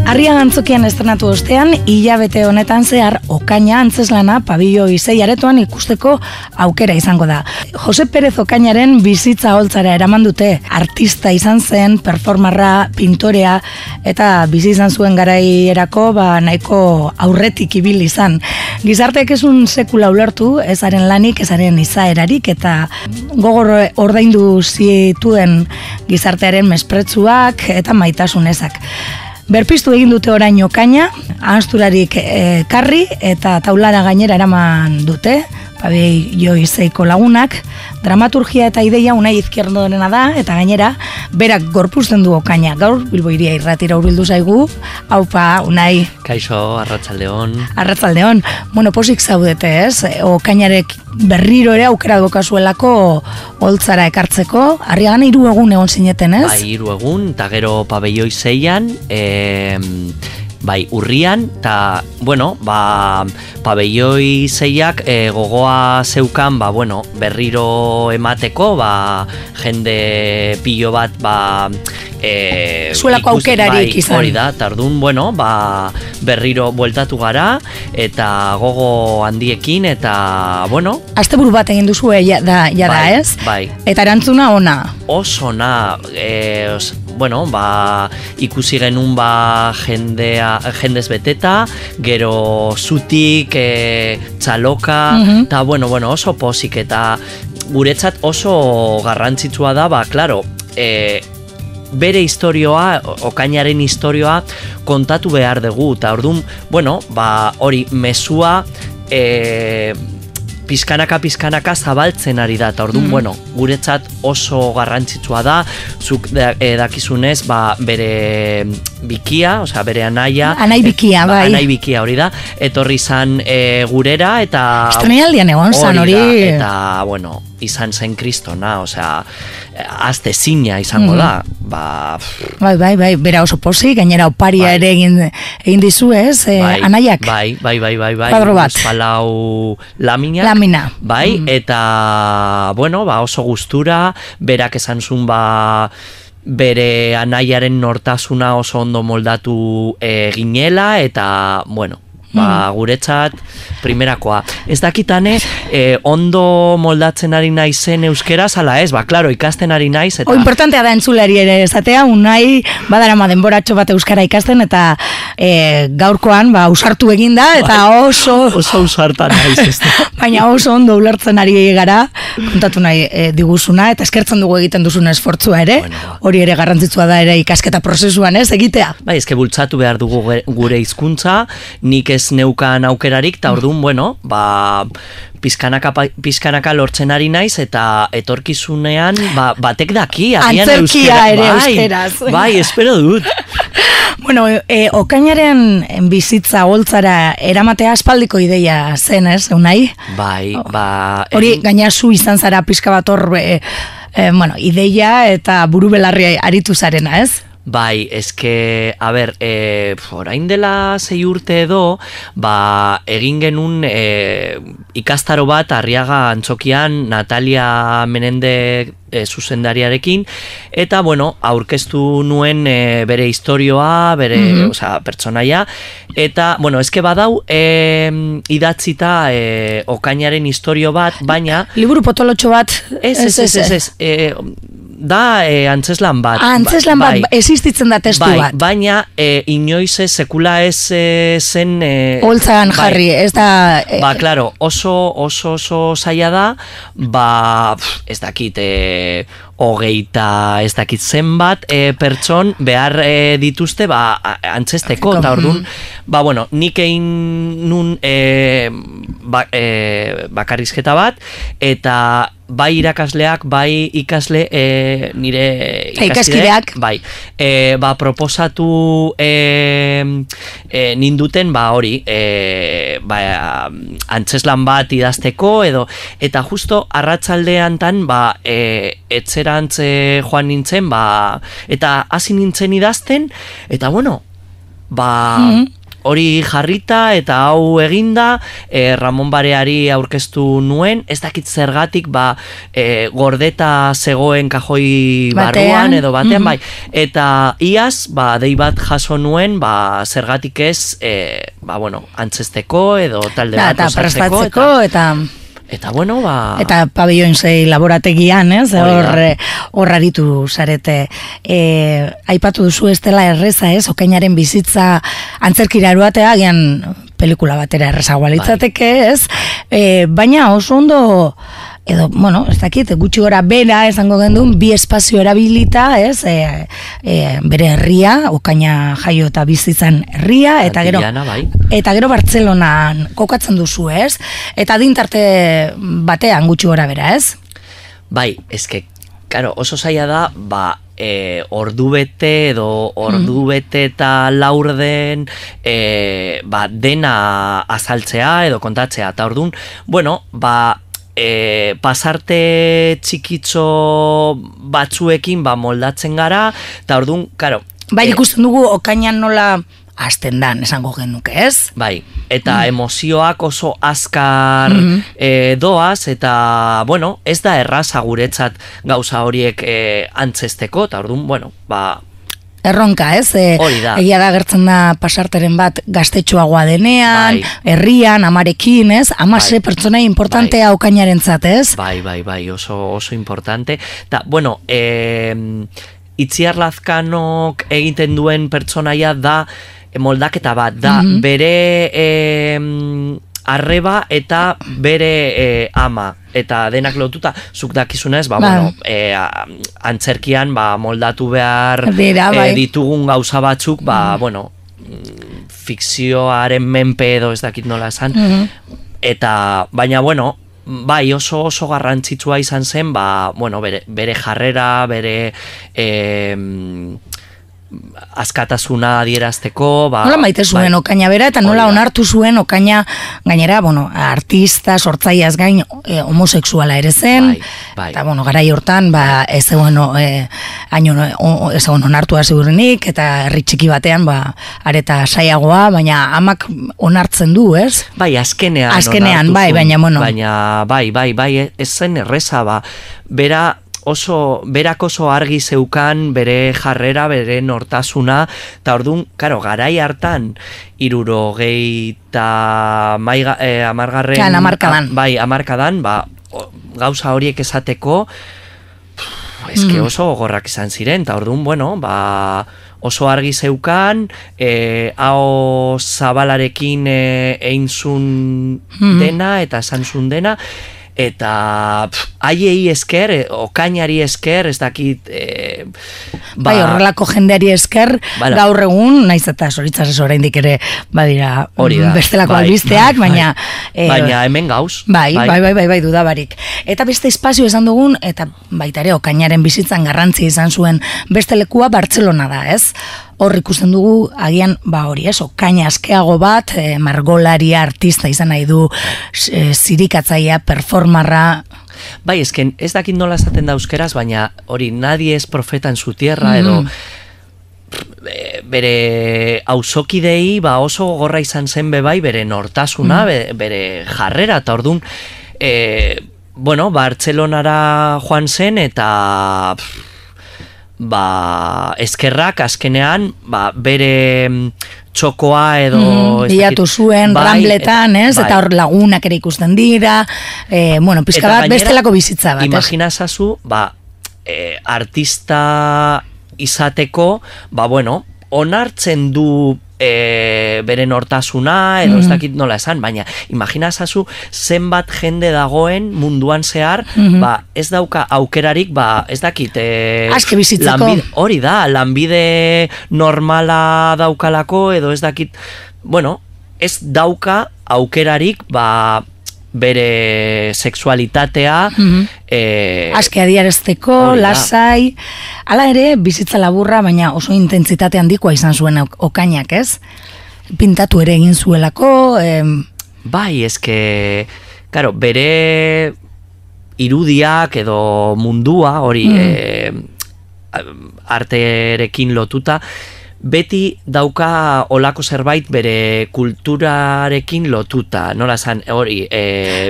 Arriaga Antzokian estrenatu ostean, hilabete honetan zehar Okaina antzeslana Pabelloi 6 aretoan ikusteko aukera izango da. Jose Perez Okainaren bizitza holtzara eraman dute. Artista izan zen, performarra, pintorea eta bizi izan zuen garaierako nahiko aurretik ibili izan. Gizarteak ezun sekula ulertu, ezaren lanik, ezaren izaerarik eta gogor ordaindu zituen gizartearen mespretzuak eta maitasunezak. Berpiztu egin dute orain Okaina, ahazturarik karri eta taulara gainera eraman dute, Pabelloi 6ko lagunak. Dramaturgia eta ideia Unai Izquierdorena da, eta gainera berak gorpuzten du Okaina. Gaur Bilbo Hiria Irratira hurbildu zaigu. Aupa, Unai. Kaixo, arratsaldeon. Arratsaldeon. Bueno, posik zaudete, ez? Okainarek berriro ere aukera dokazuelako holtzara ekartzeko. Arriagan 3 egun egon zineten, ez? Bai, 3 egun, eta gero Pabelloi 6an, bai, urrian, eta, bueno, Pabelloi 6ak gogoa zeukan, berriro emateko, jende pilo bat, zuelako aukerarik izan. Hori da, eta orduan, berriro bueltatu gara, eta gogo handiekin, eta, Asteburu bat egin duzu da, ez? Bai. Eta erantzuna ona? Oso ona, ikusi genuen jendez beteta, gero zutik, txaloka, eta oso pozik, eta guretzat oso garrantzitsua da, klaro, bere historioa, Okainaren historioa kontatu behar dugu, eta orduan, hori mezua pizkanaka zabaltzen ari da, eta orduan, guretzat oso garrantzitsua da, zuk dakizunez, bere bikia, bere anaia. Anai bikia, bai. Anai bikia hori da, etorri zan gurera, eta... Estrenaldian egon zan hori. Eta, izan zen kristona, azte zina izango da. Bai, bera oso pozik, gainera oparia ere egin dizu, ez? Anaiak. Bai. Kuadro bat. Palau lamina. Bai, eta, oso gustura, berak esan zuen, bere anaiaren nortasuna oso ondo moldatu ginela, eta, guretzat primerakoa. Ez dakitane, ondo moldatzen ari naizen euskeraz, ala ez, klaro, ikasten ari naiz. Eta... importantea da entzulari ere esatea, Unai badarama denboratxo bat euskara ikasten, eta gaurkoan ausartu eginda, eta oso ausartan naiz ez. Baina oso ondo ulertzen ari gara, kontatu nahi diguzuna, eta eskertzen dugu egiten duzun esfortzua ere, hori ere garrantzitsua da ere ikasketa prozesuan, ez, egitea. Bai, ezke bultzatu behar dugu gure hizkuntza, nik ez neukan aukerarik, eta orduan, pizkanaka lortzen ari naiz, eta etorkizunean, batek daki, antzerkia ere euskeraz. Bai, espero dut. Okainaren bizitza holtzara eramatea aspaldiko ideia zen, ez, Unai? Bai, hori, gaina zu izan zara pizka bat hor, ideia eta buru belarri aritu zarena, ez? Bai, eske, orain dela 6 urte edo, egin genuen ikastaro bat Arriaga Antzokian Natalia Menende zuzendariarekin, eta, aurkeztu nuen bere historioa, bere, pertsonaia, eta, eske badau idatzita Okainaren historio bat, baina... Liburu potolotxo bat? Ez, da antzeslan bat. Antzeslan bat, existitzen da testu bat. Baina inoiz sekula ez zen... holtzagan jarri, ez da... Klaro, oso zaila da, ez dakit... hogeita ez dakit zenbat pertson behar dituzte antzesteko, eta orduan nik egin nun bakarrizketa bat, eta bai irakasleak, bai ikasle nire ikaskideak proposatu ninduten hori antzeslan bat idazteko, eta justo arratsaldean tan etzerantz joan nintzen, eta hasi nintzen idazten, eta hori jarrita eta hau eginda, Ramon Bareari aurkeztu nuen, ez dakit zergatik, gordeta zegoen kajoi barruan edo batean, bai, eta iaz, dei bat jaso nuen, zergatik ez, antzesteko edo talde bat osatzeko, eta bueno, eta pabellon 6 laborategian, ez? Hor aritu zarete. Aipatu duzu ez dela erreza, ez? Okainaren bizitza antzerkira eroatea, agian pelikula batera errezagoa litzateke, ez? Baina oso ondo, edo, bueno, ez dakit, gutxi gora bera esango gendun, bi espazio erabilita, ez? Bere herria, Okaina jaio eta bizitzan herria, eta gero Bartzelonan kokatzen duzu, ez? Eta adintarte batean gutxi gora bera, ez? Bai, eske, karo, oso zaila da, ordubete edo ordubete eta laurden dena azaltzea edo kontatzea, eta ordun, bueno, pasarte txikitxo batzuekin moldatzen gara, eta orduan, karo... Bai, ikusten dugu Okainan nola hasten dan, esango genuke, ez? Bai, eta emozioak oso azkar doaz, eta, bueno, ez da erraza guretzat gauza horiek antzesteko, eta orduan, bueno, erronka, ez? Egia da gertzen da pasarteren bat gaztetxoagoa denean, herrian, amarekin, ez? Amase pertsonai importantea Okainarentzat, ez? Bai, oso importante. Ta, bueno, Itziar Lazkanok egiten duen pertsonaia da moldaketa bat, da bere arreba eta bere ama, eta denak lotuta, zuk dakizunez, bueno, antzerkian bamoldatu behar ditugun gauza batzuk, bueno, fikzioaren menpe edo ez dakit nola esan, eta, baina, bueno, bai, oso garrantzitsua izan zen, bueno, bere jarrera, bere askatasuna adierazteko, nola maite zuen Okaina bera, eta nola onartu zuen Okaina, gainera, bueno, artista, sortzaileaz gain, homosexuala ere zen, eta, bueno, garai hortan, ez egon onartua segurenik, eta herri txiki batean, areta saiagoa, baina amak onartzen du, ez? Bai, azkenean, baina, bueno. Baina, bai, ez zen erreza, berak oso argi zeukan bere jarrera, bere nortasuna, eta orduan, karo, garai hartan, 70 hamarkadan. Bai, hamarkadan, gauza horiek esateko, eske oso gogorrak izan ziren, eta orduan, bueno, oso argi zeukan, hau zabalarekin einzun dena, eta esanzun dena, eta haiei esker, Okainari esker, ez dakit... Bai, horrelako jendeari esker, gaur egun, naiz eta zoritzaz oraindik ere, badira, bestelako albisteak, baina... Baina hemen gauz. Bai, dudabarik. Eta beste espazio esan dugun, eta baita ere, Okainaren bizitzan garrantzi izan zuen beste lekua Bartzelona da, ez? Hor ikusten dugu, agian, hori ez, Okaina askeago bat, margolaria, artista izan nahi du, zirikatzaia, performarra... Bai, ez dakit nola esaten da euskeraz, baina hori, nadie es profeta en su tierra, edo bere auzokidei oso gogorra izan zen bebai, bere nortasuna, bere jarrera, eta orduan, bueno, Bartzelonara joan zen, eta... eskerrak azkenean bere txokoa edo bilatu zuen Rambletan, ez? Eta hor lagunak ere ikusten dira, bueno, pizka bat bestelako bizitza bat. Imagina zazu, artista izateko, bueno, onartzen du bere nortasuna, edo ez dakit nola esan, baina imagina zazu zenbat jende dagoen munduan zehar, ez dauka aukerarik, ez dakit aske bizitzeko. Hori da, lanbide normala daukalako, edo ez dakit, bueno, ez dauka aukerarik, bere sexualitatea aske adierazteko, lasai, hala ere bizitza laburra, baina oso intentsitate handikoa izan zuen Okainak, ez? Pintatu ere egin zuelako, bai, eske, karo, bere irudiak edo mundua hori arterekin lotuta, beti dauka olako zerbait bere kulturarekin lotuta, nola zan, hori,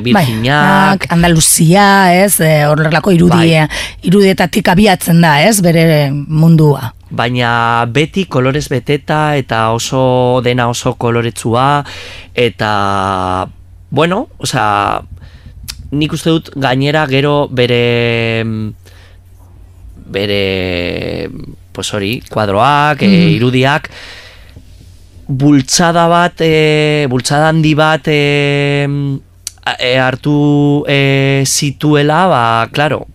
Virginiak, Andaluzia, ez, horrelako irudietatik abiatzen da, ez, bere mundua. Baina beti kolorez beteta eta oso dena oso koloretsua eta, bueno, osea, nik uste dut gainera gero bere pues hori, kuadroak, irudiak, bultzada handi bat hartu zituela, ba, klaro,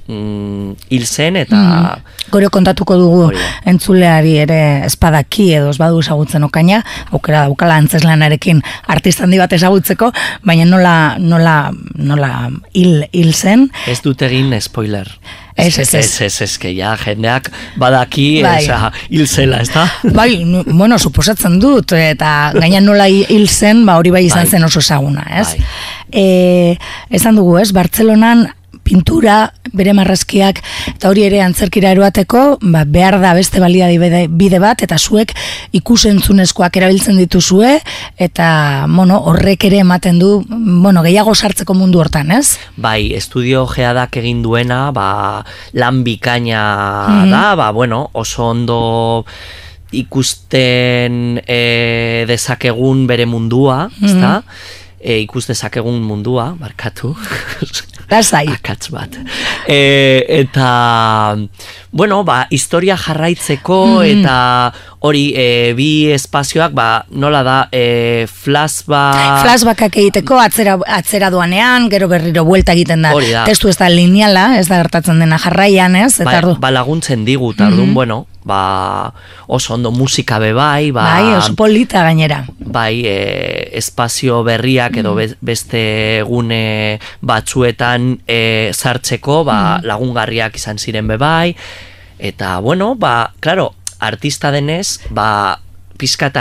hil zen eta... Gero kontatuko dugu entzuleari ere espadaki edo ez badu ezagutzen Okaina, aukera daukala antzeslanarekin artista handi bat ezagutzeko, baina nola hil zen. Ez dut egin spoiler. Ez, que ja, jendeak badaki hil zela, ez da? Bai, bueno, suposatzen dut, eta gaina nola hil zen, ba hori bai izan zen oso ezaguna, ez? Esan dugu, ez, Bartzelonan pintura, bere marrazkiak, eta hori ere antzerkira eroateko, ba, behar da beste balia bide bat, eta zuek ikusentzunezkoak erabiltzen dituzue, eta, bueno, horrek ere ematen du, bueno, gehiago sartzeko mundu hortan, ez? Bai, estudio geadak egin duena, ba, lan bikaina da, ba, bueno, oso ondo ikusten dezakegun bere mundua, ezta? Ikus dezakegun mundua, barkatu. Lasai. Akatz bat. Eta, bueno, ba, historia jarraitzeko, eta hori, bi espazioak, ba, nola da, flashbackak egiteko, atzera doanean, gero berriro buelta egiten da. Testu ez da lineala, ez da gertatzen dena jarraian, ez? Ba, laguntzen digu, tardun, bueno, ba, oso ondo musika bebai, ba... Bai, oso polita gainera. Bai, espazio berriak edo beste gune batzuetan sartzeko, ba, lagungarriak izan ziren bebai, eta, bueno, ba, claro, artista denez, ba, pizkat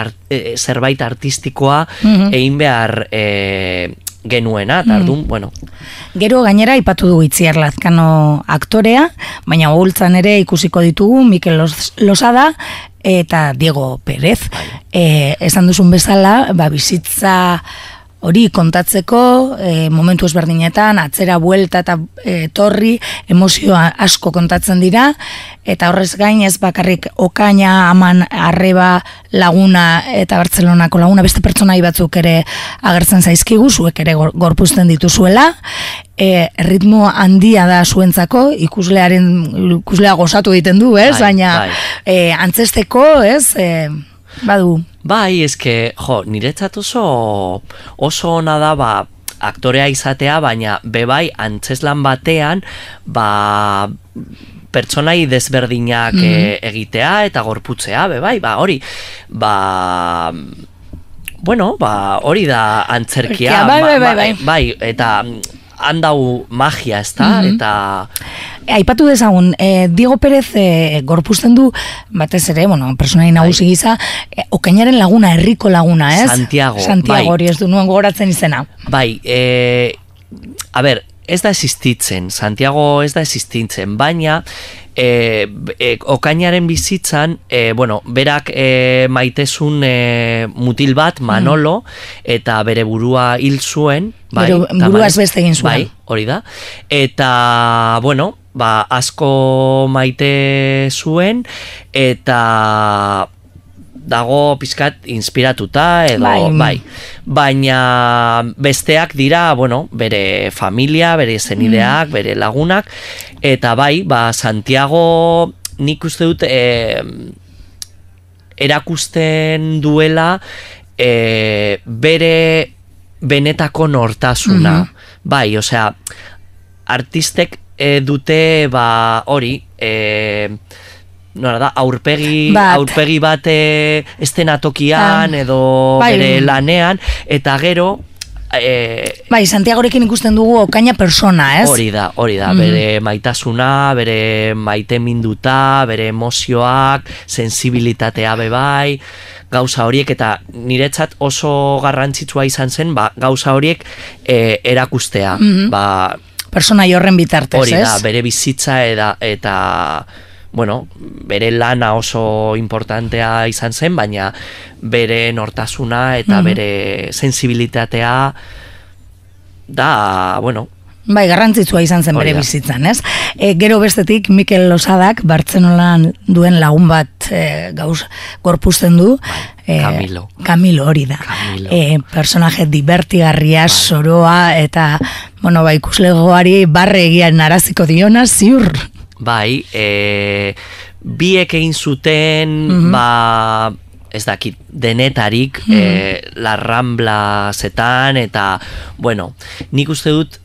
zerbait artistikoa egin behar genuena, tardun, bueno. Gero gainera ipatu dugu Itziar Lazkano aktorea, baina gogultzan ere ikusiko ditugu Mikel Losada eta Diego Pérez. Esan duzun bezala, ba, bizitza hori kontatzeko, momentu ezberdinetan, atzera buelta eta torri, emozioa asko kontatzen dira, eta horrez gain ez bakarrik Okaina, Aman, Arreba, Laguna eta Bartzelonako Laguna, beste pertsonai batzuk ere agertzen zaizkigu, zuek ere gorpuzten dituzuela, ritmo handia da zuentzako, ikuslea gozatu egiten du, ez? Baina antzesteko, ez? Badu. Bai, eske, niretzat oso ona da, ba, aktorea izatea, baina bebai antzeslan batean, ba, pertsonai desberdinak egitea eta gorputzea, bebai, ba, hori, ba, bueno, ba, hori da antzerkia. Bai, eta handau magia, ez da, eta... Aipatu dezagun, Diego Pérez gorpuzten du, batez ere, bueno, personai nagusi gisa, Okainaren laguna, herriko laguna, ez? Santiago, hori ez du nuen gogoratzen izena. Bai, a ber, ez da existitzen, Santiago ez da existitzen, baina Okainaren bizitzan, bueno, berak maitezun mutil bat, Manolo, eta bere burua hil zuen, bai, burua beste egin zuen. Bai, hori da. Eta, bueno, ba, asko maite zuen, eta dago pizkat inspiratuta edo, bai. Baina besteak dira, bueno, bere familia, bere zenideak, bere lagunak, eta bai, ba, Santiago nik uste dut erakusten duela bere benetako nortasuna. Bai, osea, artistek dute, ba, hori, nola da, aurpegi bat estenatokian edo bere lanean, eta gero... Bai, Santiagorekin ikusten dugu Okaina persona, ez? Hori da, bere maitasuna, bere maiteminduta, bere emozioak, sensibilitatea bebai, gauza horiek, eta niretzat oso garrantzitsua izan zen, ba, gauza horiek erakustea, ba... Persona horren bitartez, ez? Hori da, bere bizitza eta bueno, bere lana oso importantea izan zen, baina bere nortasuna eta bere sensibilitatea da, bueno, bai, garrantzitsua izan zen bere bizitzan, ez? Gero bestetik, Mikel Losadak, Bartzelonan duen lagun bat gorpuzten du. Camilo hori da. Personaje divertigarria, soroa, eta, bueno, ikuslegoari barre egian naraziko diona, ziur. Bai, biek egin zuten, ez dakit, denetarik, La Rambla zetan, eta, bueno, nik uste dut,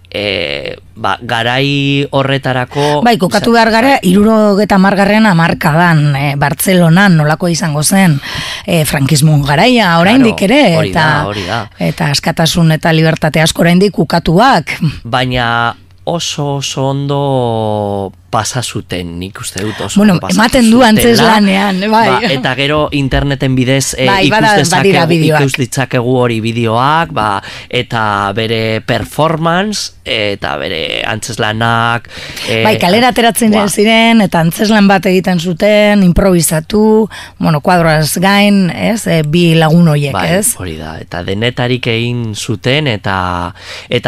garai horretarako... Bai, kokatu behar gara, 70 hamarkadan Bartzelonan nolako izango zen frankismoan garaia, oraindik ere, eta askatasun eta libertate asko oraindik ukatuak. Baina oso ondo pasa zuten, nik uste dut oso bueno, ematen du antzeslanean, bai. Eta gero interneten bidez ikus ditzakegu hori bideoak, eta bere performance, eta bere antzeslanak... Bai, kalera ateratzen ziren, eta antzeslan bat egiten zuten, improvisatu, bueno, kuadroaz gain, ez, bi lagun horiek, ez? Hori da, eta denetarik egin zuten, eta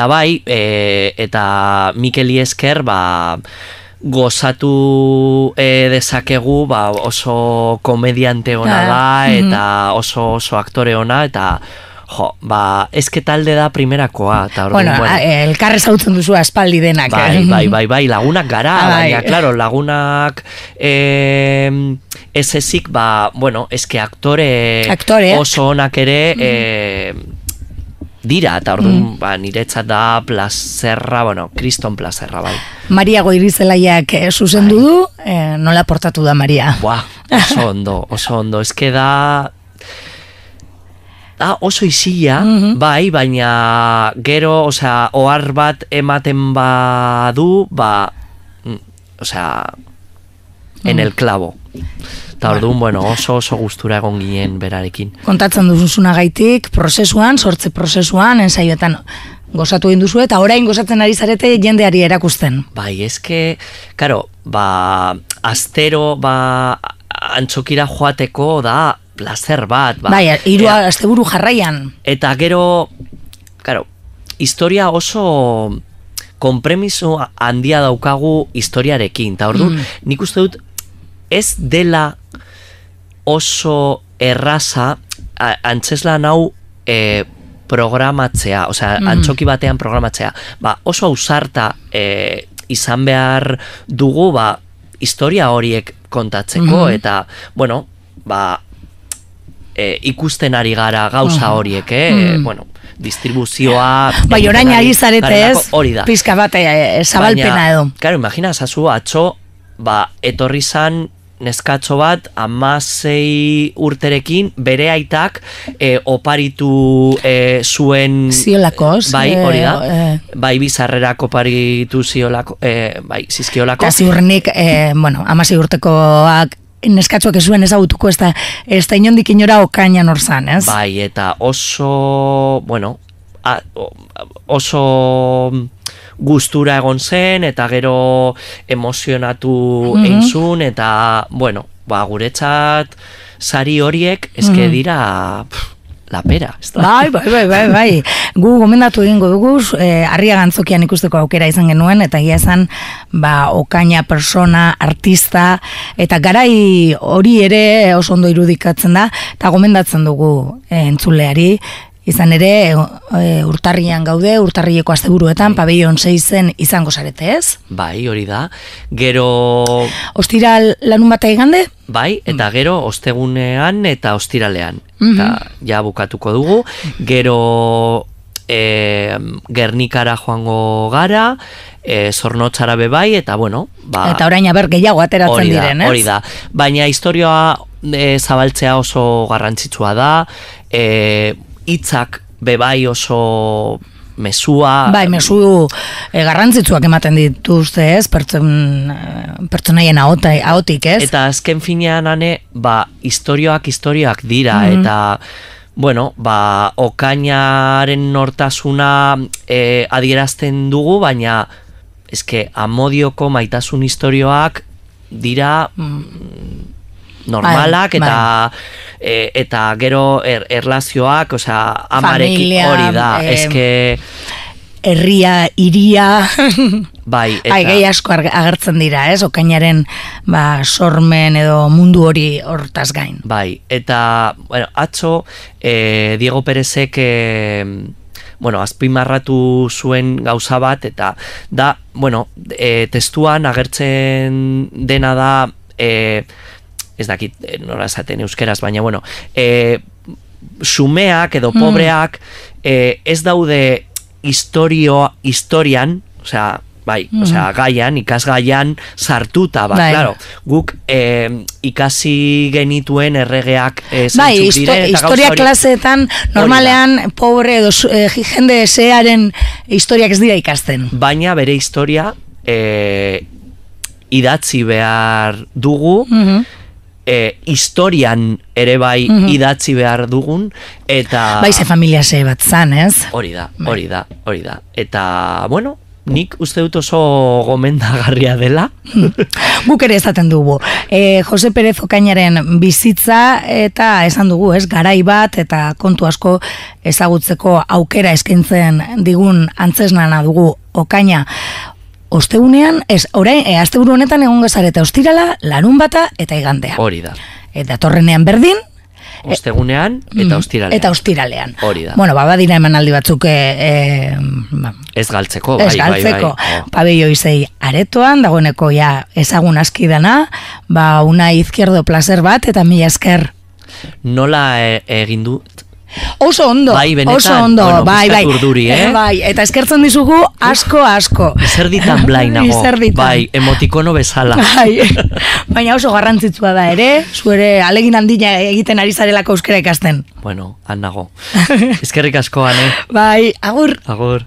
bai, eta Mikeli esker, gozatu dezakegu, oso komediante ona da, eta oso aktore ona, eta ezke talde da primerakoa. Bueno, elkarre zautzen duzu aspaldi denak. Bai, lagunak gara, baina, klaro, lagunak ez ezik, bueno, ezke aktore oso onak ere dira, eta orduan niretzat da plazerra, bueno, kriston plazerra, bai. Maria Goirizelaiak zuzendu du, nola portatu da Maria? Oso ondo, ezke da oso isila, bai, baina gero, osea, ohar bat ematen badu, osea, en el clavo. Eta orduan, bueno, oso gustura egon ginen berarekin. Kontatzen duzunagaitik, prozesuan, sortze prozesuan, ensaioetan gozatu egin duzu, eta orain gozatzen ari zarete jendeari erakusten. Bai, eske, karo, astero, antxokira joateko da placer bat. Bai, 3 asteburu jarraian. Eta gero, karo, historia oso konpremiso handia daukagu historiarekin. Eta orduan, nik uste dut, ez dela oso erraza antzeslan hau programatzea, osea, antxoki batean programatzea. Oso ausarta izan behar dugu, historia horiek kontatzeko, eta, bueno, ikusten ari gara gauza horiek, bueno, distribuzioa... Bai, orain ari zarete ez, pizka bat zabalpena edo. Claro, imagina, zazu, atxo, etorri zan neskatxo bat 16 urterekin bere aitak oparitu zuen ziolakoz, bai, hori da, bai bizarrerak oparitu ziolako, bai, zizkiolako. Eta ziurrenik, bueno, 16 urtekoak neskatxoak ez zuen ezagutuko, ez da inondik inora okainan orzan, ez? Bai, eta oso, bueno, oso gustura egon zen, eta gero emozionatu einzun, eta, bueno, guretzat sari horiek eske dira la pera. Bai. Gu gomendatu egingo dugu, Arriaga Antzokian ikusteko aukera izan genuen, eta egia esan, okaina, persona, artista, eta garai hori ere oso ondo irudikatzen da, eta gomendatzen dugu entzuleari, izan ere, urtarrian gaude, urtarrileko asteburuetan, pabellon 6-en izango zarete, ez? Bai, hori da. Gero... Ostiral lanun bat igande? Bai, eta gero ostegunean eta ostiralean. Eta ja bukatuko dugu. Gero Gernikara joango gara, Zornotzara bebai, eta bueno... Eta orain aber gehiago ateratzen diren, ez? Hori da. Baina historioa zabaltzea oso garrantzitsua da, hitzak bebai oso mesua... Bai, mesu garrantzitsuak ematen dituzte, ez? Pertsonaien ahotik, ez? Eta azken finean, historioak dira, eta, bueno, okainaren nortasuna adierazten dugu, baina, eske, Amodioko maitasun historioak dira normalak eta gero erlazioak, amarekin hori da, eske herria, iria, bai, eta gehi asko agertzen dira, okainaren sormen edo mundu hori hortaz gain. Bai, eta atzo Diego Perezek azpimarratu zuen gauza bat, eta da, testuan agertzen dena da, ez dakit nola esaten euskeraz, baina, xumeak edo pobreak ez daude historian, gaian, ikasgaian sartuta, claro, guk ikasi genituen erregeak zeintzuk diren, historia klaseetan normalean pobre edo jende esearen historiak ez dira ikasten. Baina bere historia idatzi behar dugu, historian ere bai idatzi behar dugun, eta bai, ze familia ze bat zan, ez? Hori da. Eta, nik uste dut oso gomendagarria dela. Guk ere esaten dugu. Jose Perez Okainaren bizitza eta esan dugu, ez, garai bat eta kontu asko ezagutzeko aukera eskaintzen digun antzesnana dugu Okaina. Ostegunean, orain, asteburu honetan egongo zarete ostirala, larunbata eta igandea. Hori da. Eta torrenean berdin, ostegunean eta ostiralean. Eta ostiralean. Hori da. Badira emanaldi batzuk ez galtzeko, bai. Pabello Isei aretoan, dagoeneko ezagun aski dana, una izquierdo placer bat, eta mila esker. Nola egin dut? Oso ondo, bai, eta eskertzen dizugu asko. Izerditan blainago, bai, emotikono bezala. Baina oso garrantzitsua da ere, zuere alegin handia egiten ari zarelako euskara ikasten. Han nago. Eskerrik asko, Ane. Bai, agur. Agur.